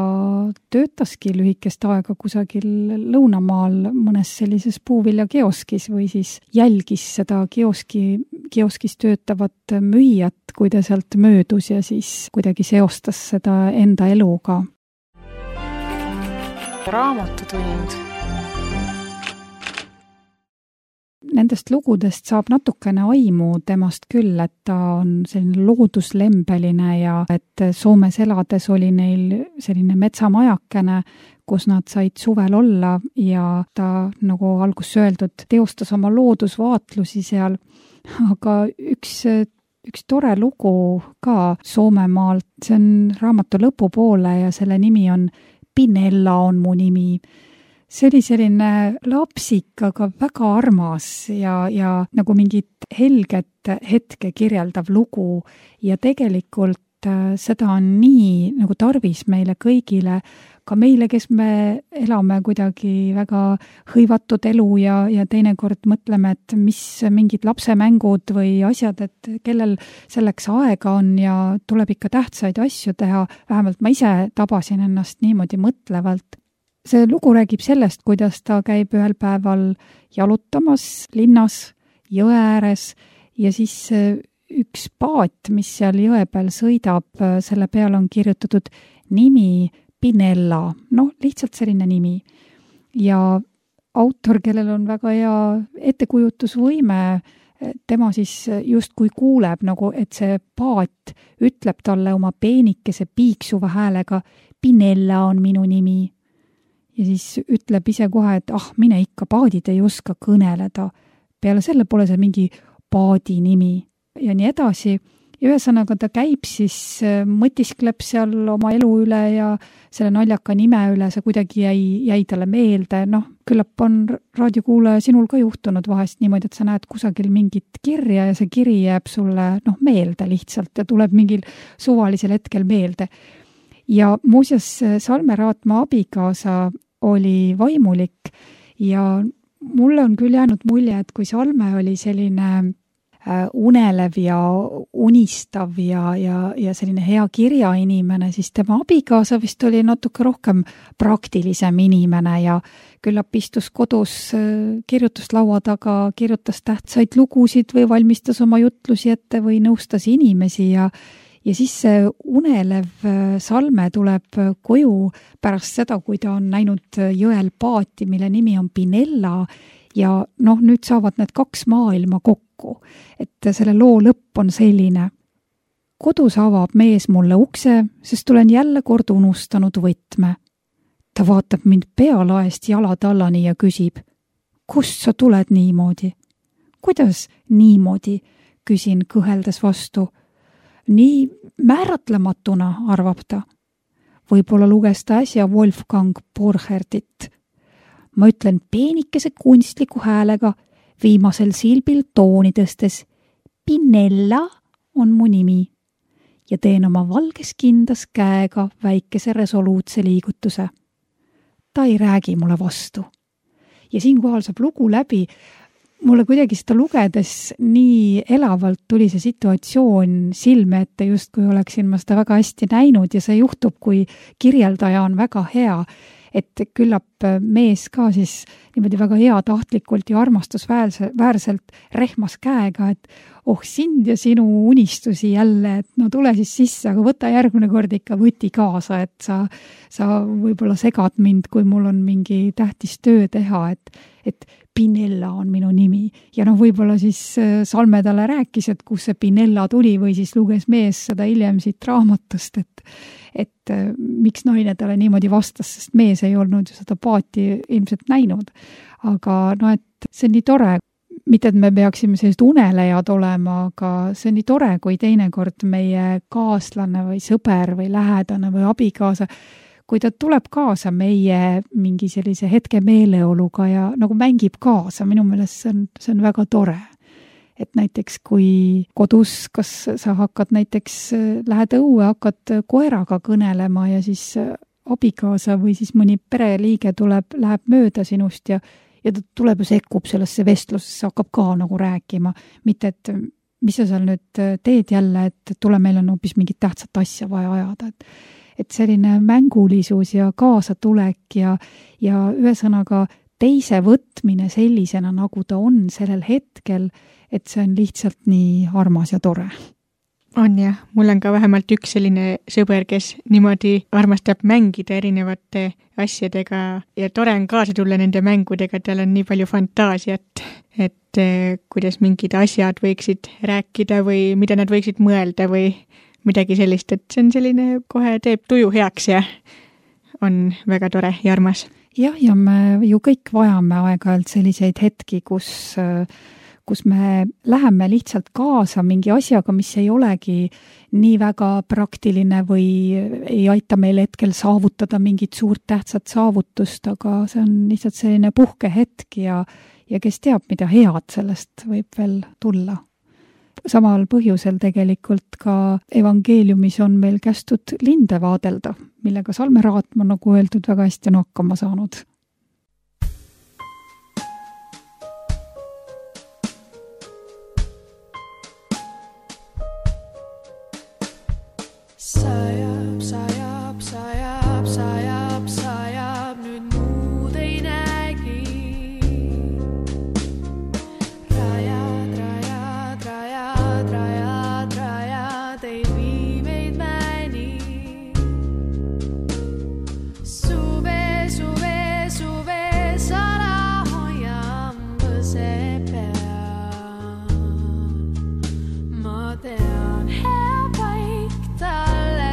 töötaski lühikest aega kusagil lõunamaal mõnes sellises puuviljakioskis või siis jälgis seda kioski, kioskis töötavat müüjat, kui ta sealt möödus ja siis kuidagi seostas seda enda eluga. Raamatutund. Nendest lugudest saab natukene aimu temast küll, et ta on selline looduslembeline ja et Soomes elades oli neil selline metsamajakene, kus nad said suvel olla ja ta, nagu alguses öeldud, teostas oma loodusvaatlusi seal. Aga üks, üks tore lugu ka Soomemaalt, see on raamatu lõpupoole ja selle nimi on Pinella on mu nimi. See oli selline lapsik, aga väga armas ja, ja nagu mingit helget hetke kirjeldav lugu ja tegelikult seda on nii nagu tarvis meile kõigile, ka meile, kes me elame kuidagi väga hõivatud elu ja, ja teinekord mõtleme, et mis mingid lapsemängud või asjad, et kellel selleks aega on ja tuleb ikka tähtsaid asju teha, vähemalt ma ise tabasin ennast niimoodi mõtlevalt. See lugu räägib sellest, kuidas ta käib ühel päeval jalutamas linnas jõe ääres ja siis üks paat, mis seal jõe peal sõidab, selle peale on kirjutatud nimi Pinella, noh, lihtsalt selline nimi. Ja autor, kellel on väga hea ettekujutusvõime, tema siis justkui kuuleb, nagu, et see paat ütleb talle oma peenikese piiksuva häälega, Pinella on minu nimi. Ja siis ütleb ise kohe, et ah, mine ikka, paadid ei oska kõneleda. peale selle pole see mingi paadi nimi ja nii edasi. Ja ühesõnaga ta käib siis, mõtiskleb seal oma elu üle ja selle naljaka nime üle, see kuidagi jäi, jäi talle meelde. Noh, küllap on raadiokuulaja sinul ka juhtunud vahest niimoodi, et sa näed kusagil mingit kirja ja see kiri jääb sulle noh, meelde lihtsalt ja tuleb mingil suvalisel hetkel meelde. Ja muuseas Salme Raatma abikaasa oli vaimulik ja mulle on küll jäänud mulje, et kui Salme oli selline unelev ja unistav ja, ja, ja selline hea kirjainimene, siis tema abikaasa vist oli natuke rohkem praktilisem inimene ja küllap istus kodus kirjutuslaua taga, kirjutas tähtsaid lugusid või valmistas oma jutlusi ette või nõustas inimesi ja ja siis see unelev Salme tuleb koju pärast seda, kui ta on näinud jõel paati, mille nimi on Pinella ja noh, nüüd saavad need kaks maailma kokku, et selle loo lõpp on selline. Kodus avab mees mulle ukse, sest olen jälle kord unustanud võtme. Ta vaatab mind pealaest jalatallani ja küsib, kust sa tuled niimoodi? Kuidas niimoodi? Küsin kõheldes vastu. Nii määratlematuna, arvab ta. Võib-olla luges ta äsja Wolfgang Borchertit. Ma ütlen peenikese kunstliku häälega, viimasel silbil tooni tõstes. Pinella on mu nimi. Ja teen oma valges kindas käega väikese resoluutse liigutuse. Ta ei räägi mulle vastu. Ja siinkohal saab lugu läbi. Mulle kuidagi seda lugedes nii elavalt tuli see situatsioon silme ette, just kui oleksin ma seda väga hästi näinud ja see juhtub, kui kirjeldaja on väga hea, et küllap mees ka siis niimoodi väga heatahtlikult ja armastusväärselt rehmas käega, et oh sind ja sinu unistusi jälle, et no tule siis sisse, aga võta järgmine kord ikka võti kaasa, et sa, sa võib-olla segad mind, kui mul on mingi tähtis töö teha, et, et Pinella on minu nimi. Ja noh, võib-olla siis Salme talle rääkis, et kus see Pinella tuli või siis luges mees seda hiljem siit raamatust, et, et miks naine talle niimoodi vastas, sest mees ei olnud ju seda paati ilmselt näinud. Aga no, et see on nii tore, mitte et me peaksime sellist unelejad olema, aga see on nii tore, kui teinekord meie kaaslane või sõber või lähedane või abikaasa, kui ta tuleb kaasa meie mingi sellise hetke meeleoluga ja nagu mängib kaasa, minu meelest see on, see on väga tore. Et näiteks kui kodus, kas sa hakkad näiteks, lähed õue, hakkad koeraga kõnelema ja siis abikaasa või siis mõni pereliige tuleb, läheb mööda sinust ja, ja ta tuleb ja sekkub sellesse vestlusesse, hakkab ka nagu rääkima. Mitte, et mis sa seal nüüd teed jälle, et tule meil on hoopis mingit tähtsat asja vaja ajada, et et selline mängulisus ja kaasatulek ja, ja ühesõnaga teise võtmine sellisena, nagu ta on sellel hetkel, et see on lihtsalt nii armas ja tore. On jah, mul on ka vähemalt üks selline sõber, kes niimoodi armastab mängida erinevate asjadega ja tore on kaasa tulla nende mängudega, tal on nii palju fantaasiat, et kuidas mingid asjad võiksid rääkida või mida nad võiksid mõelda või midagi sellist, et see on selline, kohe teeb tuju heaks ja on väga tore ja armas. Jah, ja me ju kõik vajame aeg-ajalt selliseid hetki, kus, kus me läheme lihtsalt kaasa mingi asjaga, mis ei olegi nii väga praktiline või ei aita meil hetkel saavutada mingit suurt tähtsat saavutust, aga see on lihtsalt selline puhkehetk ja, ja kes teab, mida head sellest võib veel tulla. Samal põhjusel tegelikult ka evangeeliumis on meil kästud linde vaadelda, millega Salme Raatma, nagu öeldud, väga hästi on hakkama saanud. Sajab, sajab, sajab, sajab, sajab, nüüd muud ei nägi. Rajad, rajad, rajad, rajad, rajad, ei vii meid mäni. Suve, suve, suve, sara hoiam võse peal. Ma tean hea paik talle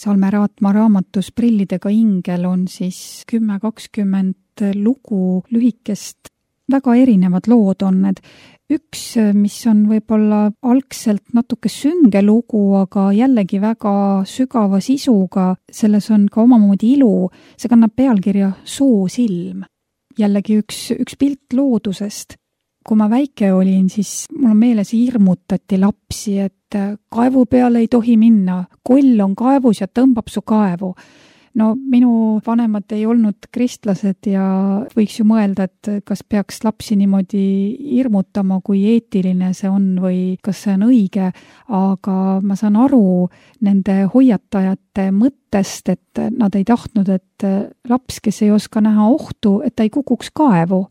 Salme Raatma raamatus Prillidega ingel on siis kümme kakskümmend lugu lühikest, väga erinevad lood on need. Üks, mis on võib-olla algselt natuke sünge lugu, aga jällegi väga sügava sisuga, selles on ka omamoodi ilu, see kannab pealkirja Soosilm. Jällegi üks, üks pilt loodusest. Kui ma väike olin, siis mul on meeles hirmutati lapsi, et kaevu peale ei tohi minna, koll on kaevus ja tõmbab su kaevu. No minu vanemad ei olnud kristlased ja võiks ju mõelda, et kas peaks lapsi niimoodi hirmutama, kui eetiline see on või kas see on õige, aga ma saan aru nende hoiatajate mõttest, et nad ei tahtnud, et laps, kes ei oska näha ohtu, et ta ei kukuks kaevu.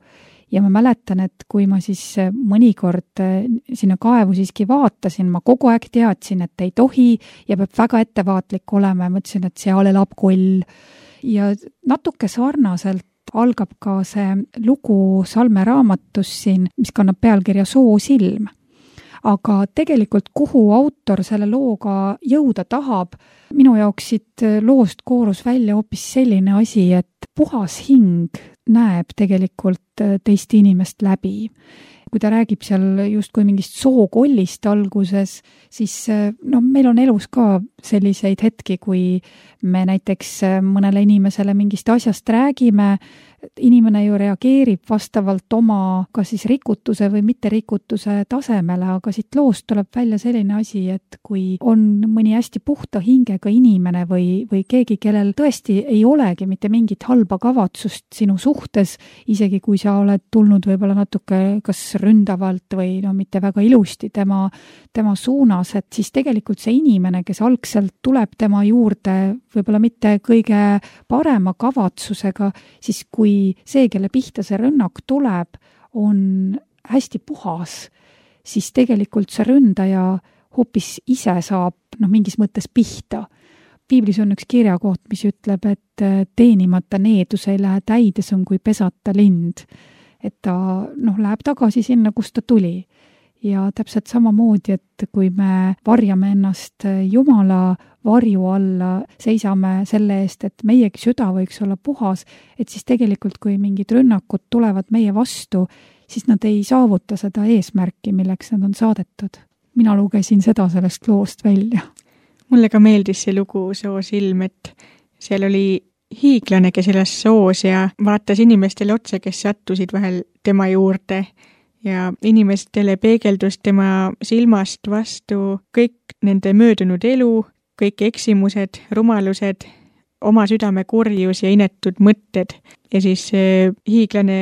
Ja ma mäletan, et kui ma siis mõnikord sinna kaevu siiski vaatasin, ma kogu aeg teadsin, et ei tohi ja peab väga ettevaatlik olema ja mõtlesin, et seal elab koll. Ja natuke sarnaselt algab ka see lugu Salme raamatus siin, mis kannab pealkirja Soosilm. Aga tegelikult, kuhu autor selle looga jõuda tahab, minu jaoks siit loost koorus välja hoopis selline asi, et puhas hing näeb tegelikult teist inimest läbi. Kui ta räägib seal justkui mingist sookollist alguses, siis no, meil on elus ka selliseid hetki, kui me näiteks mõnele inimesele mingist asjast räägime, inimene ju reageerib vastavalt oma kas siis rikutuse või mitte rikutuse tasemele, aga siit loost tuleb välja selline asi, et kui on mõni hästi puhta hingega inimene või, või keegi, kellel tõesti ei olegi mitte mingit halba kavatsust sinu suhtes, isegi kui sa oled tulnud võib-olla natuke kas ründavalt või no mitte väga ilusti tema, tema suunas, et siis tegelikult see inimene, kes algselt tuleb tema juurde võib-olla mitte kõige parema kavatsusega, siis kui see, kelle pihta see rünnak tuleb, on hästi puhas, siis tegelikult see ründaja hoopis ise saab no, mingis mõttes pihta. Piiblis on üks kirjakoht, mis ütleb, et teenimata needus ei lähe täides on kui pesata lind. Et ta noh, läheb tagasi sinna, kust ta tuli. Ja täpselt samamoodi, et kui me varjame ennast Jumala varju alla, seisame selle eest, et meiegi süda võiks olla puhas, et siis tegelikult, kui mingid rünnakud tulevad meie vastu, siis nad ei saavuta seda eesmärki, milleks nad on saadetud. Mina lugesin seda sellest loost välja. Mulle ka meeldis see lugu Soosilm, et seal oli hiiglane, kes elas soos ja vaatas inimestele otsa, kes sattusid vahel tema juurde ja inimestele peegeldus tema silmast vastu kõik nende möödunud elu, kõik eksimused, rumalused, oma südame kurjus ja inetud mõtted. Ja siis hiiglane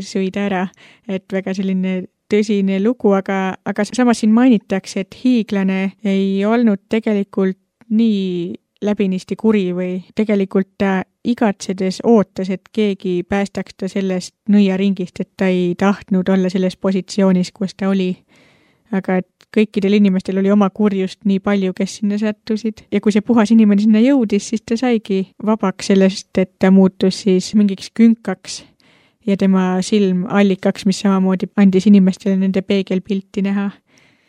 sõi ta ära, et väga selline tõsine lugu, aga, aga samas siin mainitakse, et hiiglane ei olnud tegelikult nii läbinisti kuri või tegelikult ta igatsedes ootas, et keegi päästaks ta sellest nõiaringist, et ta ei tahtnud olla selles positsioonis, kus ta oli. Aga et kõikidel inimestel oli oma kurjust nii palju, kes sinna sattusid. Ja kui see puhas inimene sinna jõudis, siis ta saigi vabaks sellest, et ta muutus siis mingiks künkaks ja tema silm allikaks, mis samamoodi andis inimestele nende peegelpilti näha.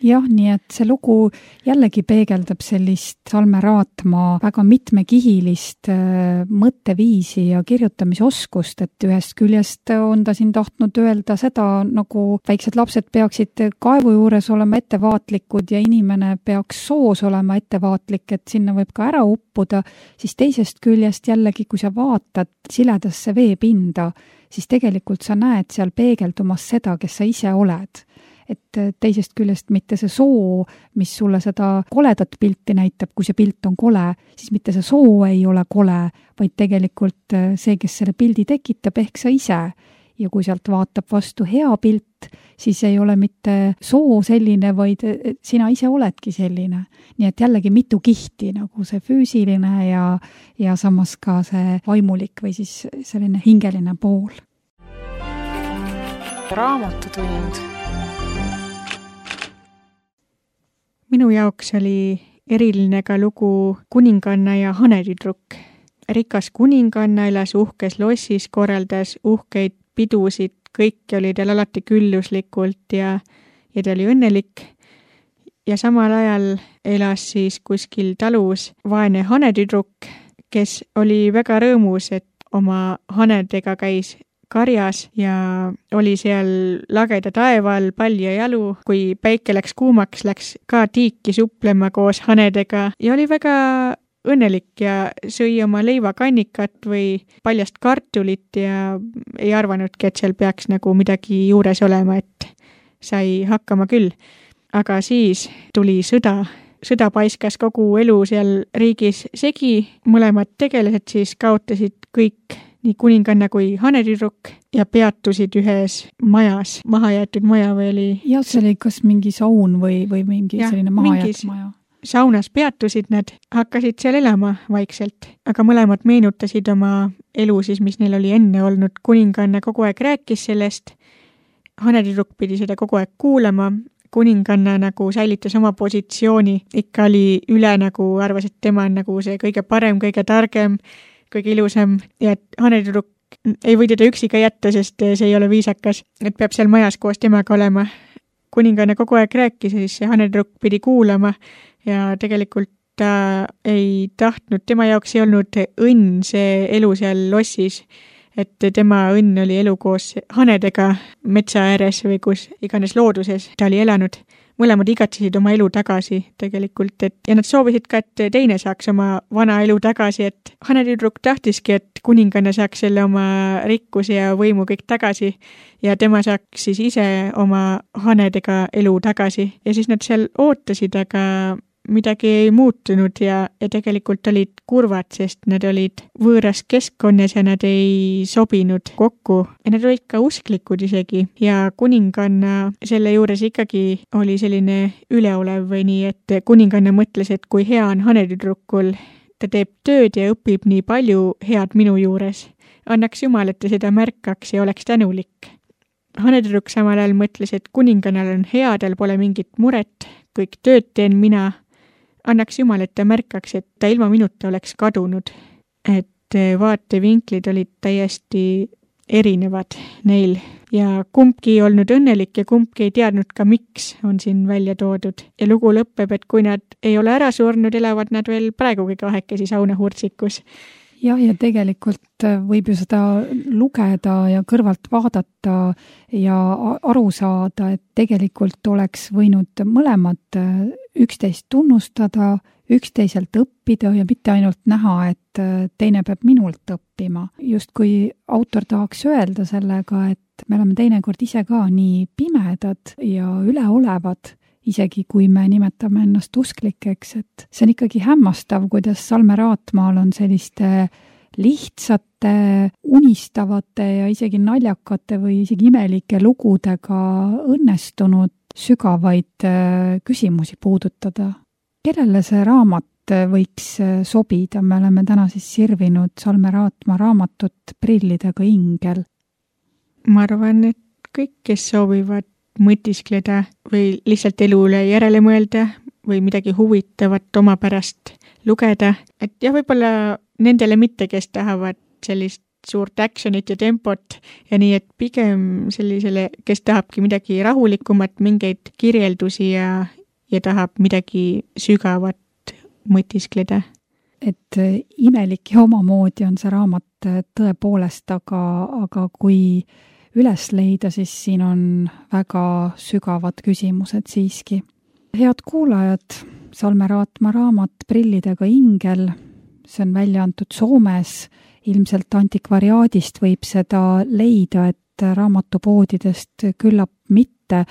Jah, nii et see lugu jällegi peegeldab sellist Salme Raatma väga mitmekihilist mõtteviisi ja kirjutamisoskust, et ühest küljest on ta siin tahtnud öelda seda, nagu väiksed lapsed peaksid kaevu juures olema ettevaatlikud ja inimene peaks soos olema ettevaatlik, et sinna võib ka ära uppuda, siis teisest küljest jällegi, kui sa vaatad siledasse veepinda, siis tegelikult sa näed seal peegeldumas seda, kes sa ise oled. Et teisest küljest mitte see soo, mis sulle seda koledat pilti näitab, kui see pilt on kole, siis mitte see soo ei ole kole, vaid tegelikult see, kes selle pildi tekitab, ehk sa ise. Ja kui sealt vaatab vastu hea pilt, siis ei ole mitte soo selline, vaid sina ise oledki selline. Nii et jällegi mitu kihti, nagu see füüsiline ja, ja samas ka see vaimulik või siis selline hingeline pool. Raamatutund. Minu jaoks oli eriline ka lugu Kuninganna ja hanetüdruk. Rikas kuninganna elas uhkes lossis, korraldas uhkeid pidusid, kõik oli tal alati külluslikult ja, ja ta oli õnnelik. ja samal ajal elas siis kuskil talus vaene hanetüdruk, kes oli väga rõõmus, et oma hanedega käis karjas ja oli seal lageda taeva all pall ja jalu. Kui päike läks kuumaks, läks ka tiiki suplema koos hanedega ja oli väga õnnelik ja sõi oma leivakannikat või paljast kartulit ja ei arvanudki, et seal peaks nagu midagi juures olema, et sai hakkama küll. Aga siis tuli sõda. Sõda paiskas kogu elu seal riigis segi. Mõlemad tegelased siis kaotasid kõik, nii kuninganna kui hanetüdruk, ja peatusid ühes majas, mahajäetud maja või oli... Ja see oli kas mingi saun või, või mingi ja, selline mahajäetud maja? Saunas peatusid nad, hakkasid seal elama vaikselt, aga mõlemad meenutasid oma elu siis, mis neil oli enne olnud. Kuninganna kogu aeg rääkis sellest, hanetüdruk pidi seda kogu aeg kuulama, kuninganna nagu säilitas oma positsiooni, ikka oli üle nagu arvas, et tema on nagu see kõige parem, kõige targem, kõige ilusam ja et hanetüdruk ei või teda üksi ka jätta, sest see ei ole viisakas, et peab seal majas koos temaga olema. Kuninganna kogu aeg rääkis ja siis see hanetüdruk pidi kuulama ja tegelikult ta ei tahtnud, tema jaoks ei olnud õnn see elu seal lossis, et tema õnn oli elu koos hanedega metsa ääres või kus iganes looduses ta oli elanud. Mõlemad igatsesid oma elu tagasi tegelikult, et ja nad soovisid ka, et teine saaks oma vana elu tagasi, et hanetüdruk tahtiski, et kuninganna saaks selle oma rikkuse ja võimu kõik tagasi ja tema saaks siis ise oma hanedega elu tagasi ja siis nad seal ootasid, aga midagi ei muutunud ja, ja tegelikult olid kurvad, sest nad olid võõras keskkonnas ja nad ei sobinud kokku ja nad olid ka usklikud isegi ja kuninganna selle juures ikkagi oli selline üleolev või nii, et kuninganna mõtles, et kui hea on hanetüdrukul, ta teeb tööd ja õpib nii palju head minu juures. Annaks Jumal, et ta seda märkaks ja oleks tänulik. Hanetüdruk samal ajal mõtles, et kuningannal on hea, tal pole mingit muret, kõik tööd teen mina. Annaks Jumal, et ta märkaks, et ta ilma minuta oleks kadunud, et vaatevinklid olid täiesti erinevad neil ja kumbki ei olnud õnnelik ja kumbki ei teadnud ka, miks on siin välja toodud. Ja lugu lõpeb, et kui nad ei ole ära surnud, elavad nad veel praegugi kahekesi saunahurtsikus. Jah, ja tegelikult võib ju seda lugeda ja kõrvalt vaadata ja aru saada, et tegelikult oleks võinud mõlemad üksteist tunnustada, üksteiselt õppida ja mitte ainult näha, et teine peab minult õppima. Just kui autor tahaks öelda sellega, et me oleme teinekord ise ka nii pimedad ja üleolevad, isegi kui me nimetame ennast usklikeks, et see on ikkagi hämmastav, kuidas Salme Raatmaal on selliste lihtsate, unistavate ja isegi naljakate või isegi imelike lugudega õnnestunud sügavaid küsimusi puudutada. Kellele see raamat võiks sobida? Me oleme täna siis sirvinud Salme Raatma raamatut Prillidega ingel. Ma arvan, et kõik, kes soovivad mõtiskleda või lihtsalt elu üle järele mõelda või midagi huvitavat oma pärast lugeda, et jah, võib-olla nendele mitte, kes tahavad sellist suurt actionit ja tempot ja nii, et pigem sellisele, kes tahabki midagi rahulikumat, mingeid kirjeldusi ja, ja tahab midagi sügavat mõtiskleda. Et imelik ja omamoodi on see raamat tõepoolest, aga, aga kui üles leida, siis siin on väga sügavad küsimused siiski. Head kuulajad, Salme Raatma raamat Prillidega ingel, see on välja antud Soomes, ilmselt antikvariaadist võib seda leida, et raamatupoodidest küllap mitte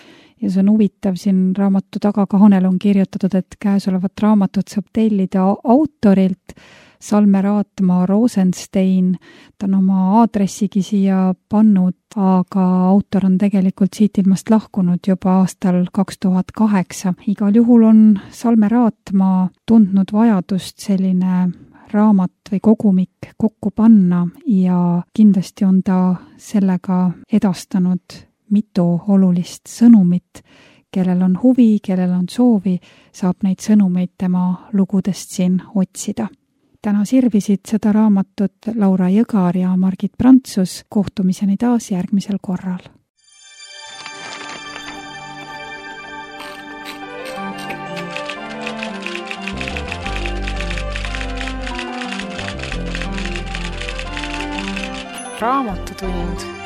ja see on huvitav, siin raamatu tagakaanel on kirjutatud, et käesolevat raamatut saab tellida autorilt Salme Raatma Rosenstein, ta on oma aadressigi siia pannud, aga autor on tegelikult siit ilmast lahkunud juba aastal kaks tuhat kaheksa. Igal juhul on Salme Raatma tundnud vajadust selline raamat või kogumik kokku panna ja kindlasti on ta sellega edastanud mitu olulist sõnumit. Kellel on huvi, kellel on soovi, saab neid sõnumeid tema lugudest siin otsida. Täna sirvisid seda raamatut Laura Jõgar ja Margit Prantsus. Kohtumiseni taas järgmisel korral. Raamatutund